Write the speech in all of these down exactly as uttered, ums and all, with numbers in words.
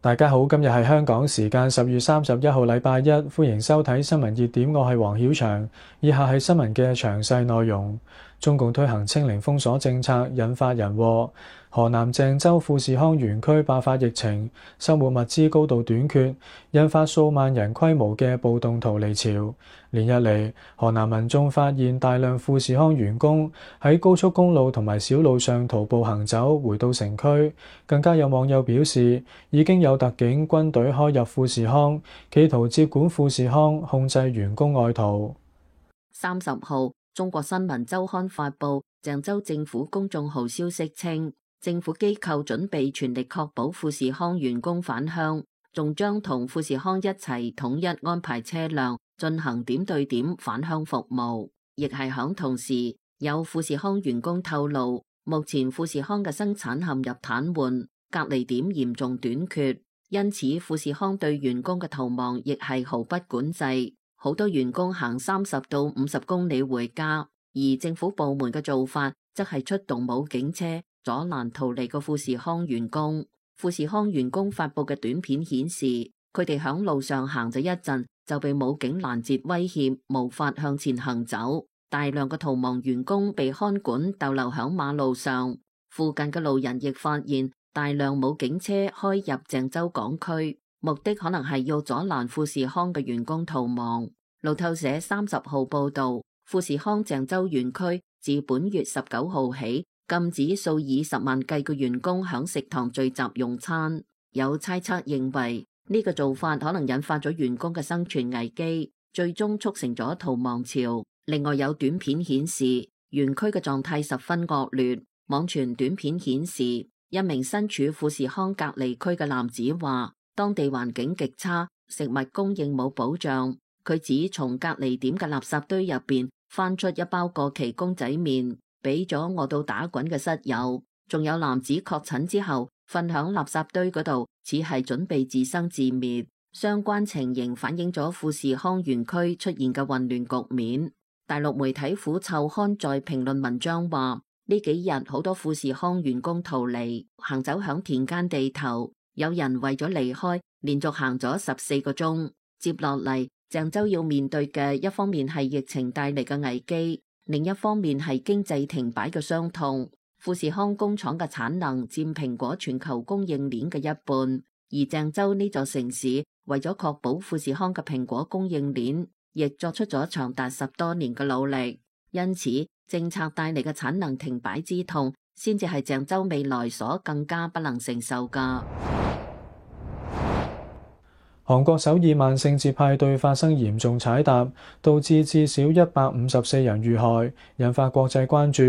大家好，今日係香港時間十月三十一號禮拜一，歡迎收睇新聞熱點，我係黃曉翔。以下係新聞嘅詳細內容。中共推行清零封鎖政策，引發人禍。河南鄭州富士康園區爆發疫情，生活物資高度短缺，引發數萬人規模嘅暴動逃離潮。連日嚟，河南民眾發現大量富士康員工喺高速公路同埋小路上徒步行走，回到城區。更加有網友表示，已經有特警軍隊開入富士康，企圖接管富士康，控制員工外逃。三十號，中國新聞週刊發布鄭州政府公眾號消息稱，政府機構準備全力確保富士康員工返鄉，仲將同富士康一齊統一安排車輛進行點對點返鄉服務。亦係響同時，有富士康員工透露，目前富士康嘅生產陷入癱瘓，隔離點嚴重短缺，因此富士康對員工嘅逃亡亦係毫不管制，好多員工行三十到五十公里回家，而政府部門嘅做法則係出動武警車阻攔逃離嘅富士康員工。富士康員工發佈嘅短片顯示，佢哋響路上行咗一陣就被武警攔截威脅，無法向前行走。大量嘅逃亡員工被看管逗留響馬路上，附近嘅路人亦發現大量武警車開入鄭州港區，目的可能係要阻攔富士康嘅員工逃亡。路透社三十號報道，富士康鄭州園區自本月十九號起禁止數以十萬計嘅員工響食堂聚集用餐。有猜測認為呢個做法可能引發咗員工嘅生存危機，最終促成咗逃亡潮。另外有短片顯示園區嘅狀態十分惡劣。網傳短片顯示一名身處富士康隔離區嘅男子話，當地環境極差，食物供應冇保障。佢指從隔離點嘅垃圾堆入邊翻出一包過期公仔麵，俾咗餓到打滾嘅室友。仲有男子確診之後瞓響垃圾堆嗰度，似係準備自生自滅。相關情形反映咗富士康園區出現嘅混亂局面。大陸媒體虎臭刊在評論文章話，呢幾日好多富士康員工逃離，行走響田間地頭，有人為咗離開連續行咗十四個鐘。接落嚟，鄭州要面對嘅一方面係疫情帶嚟嘅危機，另一方面係經濟停擺嘅傷痛。富士康工廠嘅產能佔蘋果全球供應鏈嘅一半，而鄭州呢座城市為咗確保富士康嘅蘋果供應鏈，亦作出咗長達十多年嘅努力。因此，政策帶嚟嘅產能停擺之痛，先至係鄭州未來所更加不能承受㗎。韓國首爾萬聖節派對發生嚴重踩踏，導致至少一百五十四人遇害，引發國際關注。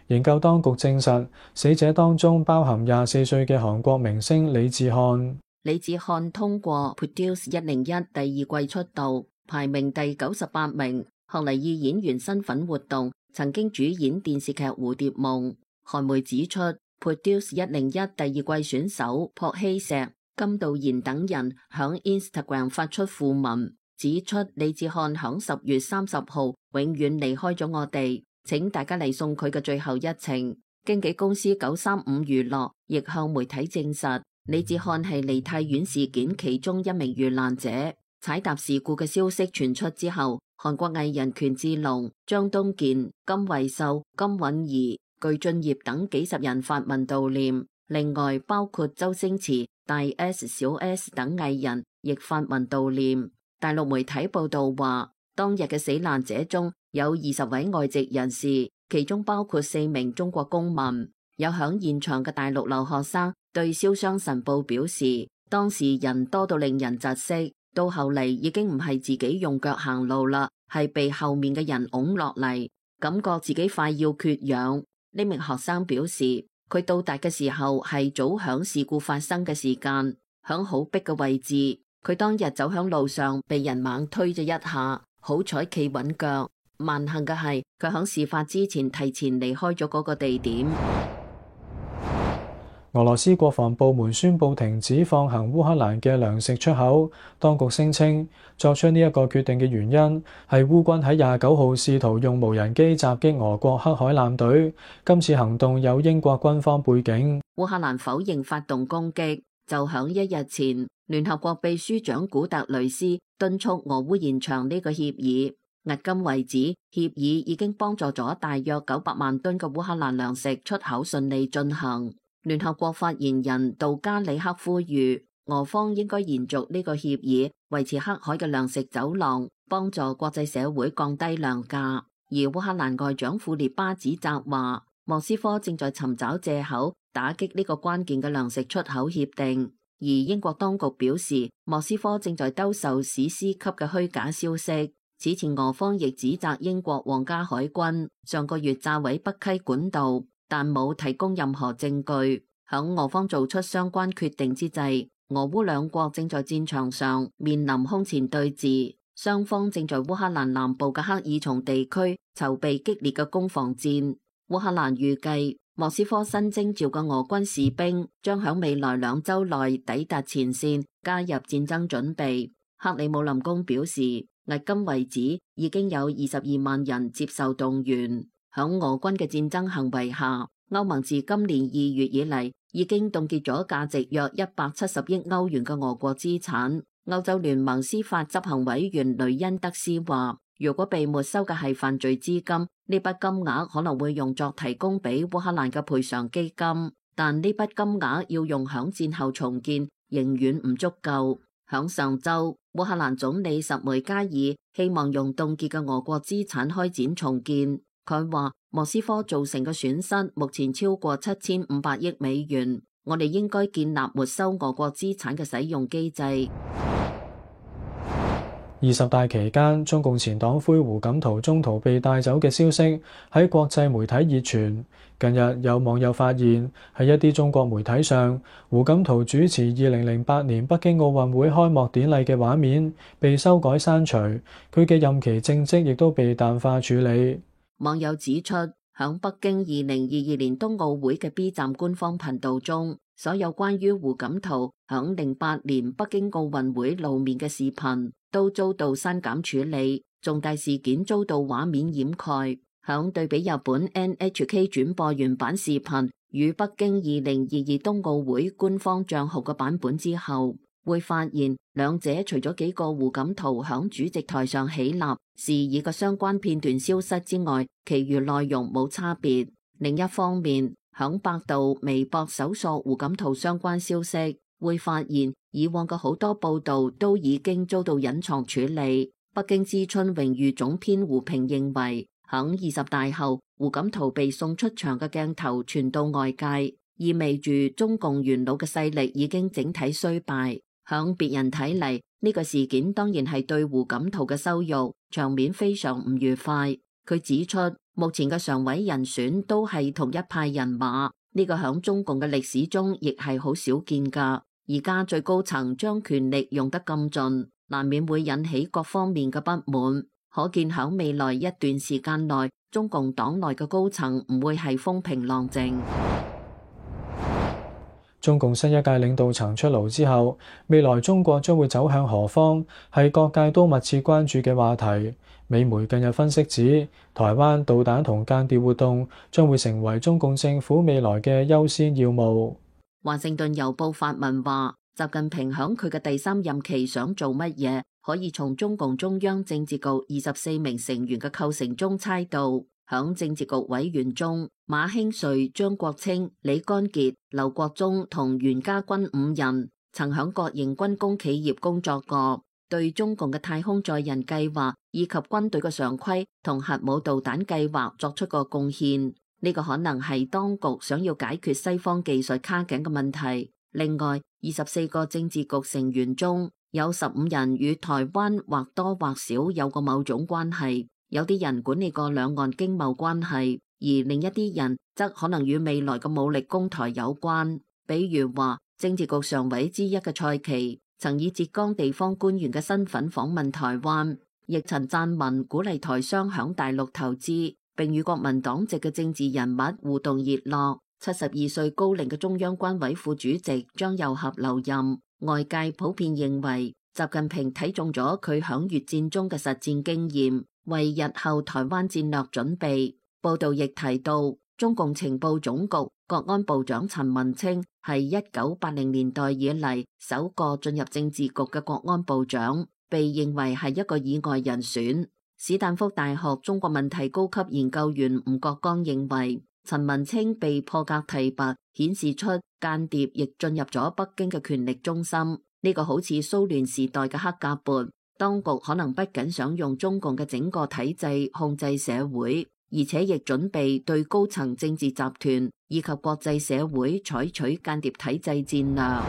營救當局證實，死者當中包含廿四歲嘅韓國明星李智漢。李智漢通過 Produce 一零一第二季出道，排名第九十八名。後嚟以演員身份活動，曾經主演電視劇《蝴蝶夢》。韓媒指出 ，Produce 一零一第二季選手朴熙石、金道賢等人響 Instagram 發出訃文，指出李智漢響十月三十號永遠離開咗我哋，請大家嚟送佢嘅最後一程。經紀公司九三五娛樂亦向媒體證實，李智漢係梨泰院事件其中一名遇難者。踩踏事故嘅消息傳出之後，韓國藝人權志龍、張東健、金惠秀、金允兒、具俊曄等幾十人發文悼念。另外包括周星馳、大 S、小 S 等藝人亦發文悼念。大陸媒體報道話，當日嘅死難者中有二十位外籍人士，其中包括四名中國公民。有響現場嘅大陸留學生對瀟湘晨報表示，當時人多到令人窒息，到後嚟已經唔係自己用腳行路啦，係被後面嘅人拱落嚟，感覺自己快要缺氧。呢名學生表示，佢到達嘅時候係早響事故發生嘅時間，響好逼嘅位置。佢當日走響路上被人猛推咗一下，好彩企穩腳。萬幸嘅係佢響事發之前提前離開咗嗰個地點。俄羅斯國防部門宣布停止放行烏克蘭嘅糧食出口。當局聲稱作出呢一個決定嘅原因係烏軍喺廿九號試圖用無人機襲擊俄國黑海艦隊，今次行動有英國軍方背景。烏克蘭否認發動攻擊。就響一日前，聯合國秘書長古特雷斯敦促俄烏延長呢個協議。迄今為止，協議已經幫助咗大約九百萬噸嘅烏克蘭糧食出口順利進行。聯合國發言人杜加里克呼籲，俄方應該延續呢個協議，維持黑海嘅糧食走廊，幫助國際社會降低糧價。而烏克蘭外長庫列巴指責話，莫斯科正在尋找借口打擊呢個關鍵嘅糧食出口協定。而英國當局表示，莫斯科正在兜售史詩級嘅虛假消息。此前俄方亦指責英國皇家海軍上個月炸毀北溪管道，但冇提供任何證據。響俄方做出相關決定之際，俄烏兩國正在戰場上面臨空前對峙，雙方正在烏克蘭南部嘅克爾松地區籌備激烈嘅攻防戰。烏克蘭預計莫斯科新徵召嘅俄軍士兵將響未來兩週內抵達前線，加入戰爭準備。克里姆林宮表示，迄今為止已經有二十二萬人接受動員。響俄軍嘅戰爭行為下，歐盟自今年二月以嚟已經凍結咗價值約一百七十億歐元嘅俄國資產。歐洲聯盟司法執行委員雷恩德斯話，如果被沒收嘅係犯罪資金，呢筆金額可能會用作提供俾烏克蘭嘅賠償基金，但呢筆金額要用響戰後重建仍遠唔足夠。響上週，烏克蘭總理什梅加爾希望用凍結嘅俄國資產開展重建。佢話莫斯科造成嘅損失目前超過七千五百億美元，我哋應該建立沒收俄國資產嘅使用機制。二十大期間，中共前黨魁胡錦濤中途被帶走嘅消息喺國際媒體熱傳。近日有網友發現，喺一啲中國媒體上，胡錦濤主持二零零八年北京奧運會開幕典禮嘅畫面被修改刪除，佢嘅任期政績亦都被淡化處理。網友指出，響北京二零二二年冬奧會嘅 B 站官方頻道中，所有關於胡錦濤響零八年北京奧運會露面嘅視頻都遭到刪減處理，重大事件遭到畫面掩蓋。響對比日本 N H K 轉播原版視頻與北京二零二二冬奧會官方賬號嘅版本之後，會發現兩者除咗幾個胡錦濤響主席台上起立示意嘅相關片段消失之外，其餘內容冇差別。另一方面，響百度、微博搜索胡錦濤相關消息，會發現以往嘅好多報道都已經遭到隱藏處理。北京之春榮譽總編胡平認為，響二十大後，胡錦濤被送出場嘅鏡頭傳到外界，意味住中共元老嘅勢力已經整體衰敗。響別人睇嚟，呢個事件當然係對胡錦濤嘅羞辱，場面非常唔愉快。佢指出，目前嘅常委人選都係同一派人馬，呢個響中共嘅歷史中亦係好少見噶。而家最高層將權力用得咁盡，難免會引起各方面嘅不滿。可見響未來一段時間內，中共黨內嘅高層唔會係風平浪靜。中共新一屆領導層出爐之後，未來中國將會走向何方，係各界都密切關注嘅話題。美媒近日分析指，台灣導彈同間諜活動將會成為中共政府未來嘅優先要務。華盛頓郵報發文話，習近平響佢嘅第三任期想做乜嘢，可以從中共中央政治局二十四名成員嘅構成中猜到。響政治局委員中，馬興瑞、張國清、李乾傑、劉國中同袁家軍五人曾響國營軍工企業工作過，對中共嘅太空載人計劃以及軍隊嘅常規同核武導彈計劃作出過貢獻。呢個可能係當局想要解決西方技術卡頸嘅問題。另外，二十四個政治局成員中有十五人與台灣或多或少有過某種關係。有啲人管理過兩岸經貿關係，而另一啲人則可能與未來嘅武力攻台有關。比如話，政治局常委之一嘅蔡奇曾以浙江地方官員嘅身份訪問台灣，亦曾撰文鼓勵台商響大陸投資，並與國民黨籍嘅政治人物互動熱絡。七十二歲高齡嘅中央軍委副主席張又俠留任，外界普遍認為習近平睇中咗佢響越戰中嘅實戰經驗，為日後台灣戰略準備。報道亦提到，中共情報總局國安部長陳文清係一九八零年代以嚟首個進入政治局嘅國安部長，被認為係一個意外人選。史丹福大學中國問題高級研究員吳國剛認為，陳文清被破格提拔，顯示出間諜亦進入咗北京嘅權力中心。呢個好似蘇聯時代嘅黑格勃，當局可能不僅想用中共嘅整個體制控制社會，而且亦準備對高層政治集團以及國際社會採取間諜體制戰略。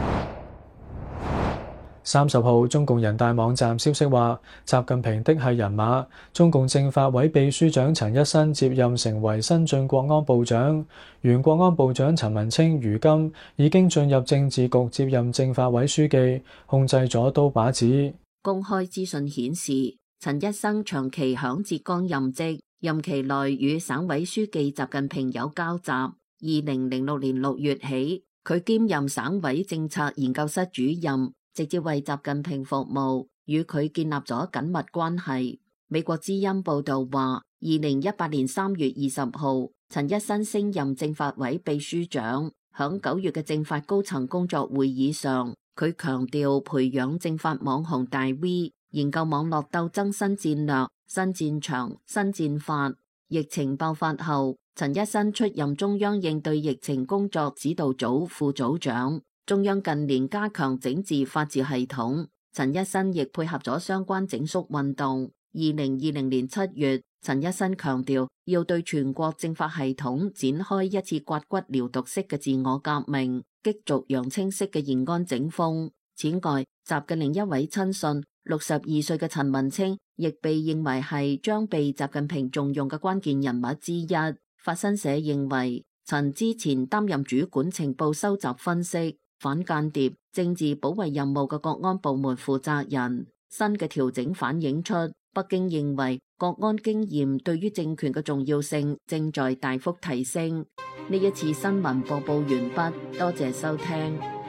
三十號，中共人大網站消息話，習近平的係人馬，中共政法委秘書長陳一新接任成為新晉國安部長，原國安部長陳文清如今已經進入政治局接任政法委書記，控制咗刀把子。公開資訊顯示，陳一新長期響浙江任職，任期內與省委書記習近平有交集。二零零六年六月起，佢兼任省委政策研究室主任，直接為習近平服務，與佢建立咗緊密關係。美國之音報道話，二零一八年三月二十號，陳一新升任政法委秘書長。響九月嘅政法高層工作會議上，佢強調培養政法網紅大 V， 研究網絡鬥爭新戰略、新戰場、新戰法。疫情爆發後，陳一新出任中央應對疫情工作指導組副組長。中央近年加強整治法治系統，陳一新亦配合咗相關整肅運動。二零二零年七月，陳一新強調要對全國政法系統展開一次刮骨療毒式嘅自我革命，激濁揚清式嘅延安整風。此外，習嘅另一位親信六十二歲嘅陳文清，亦被認為係將被習近平重用嘅關鍵人物之一。法新社認為，陳之前擔任主管情報收集分析、反間諜、政治保衛任務嘅國安部門負責人。新嘅調整反映出北京認為國安經驗對於政權嘅重要性正在大幅提升。呢一次新聞播報完畢，多謝收聽。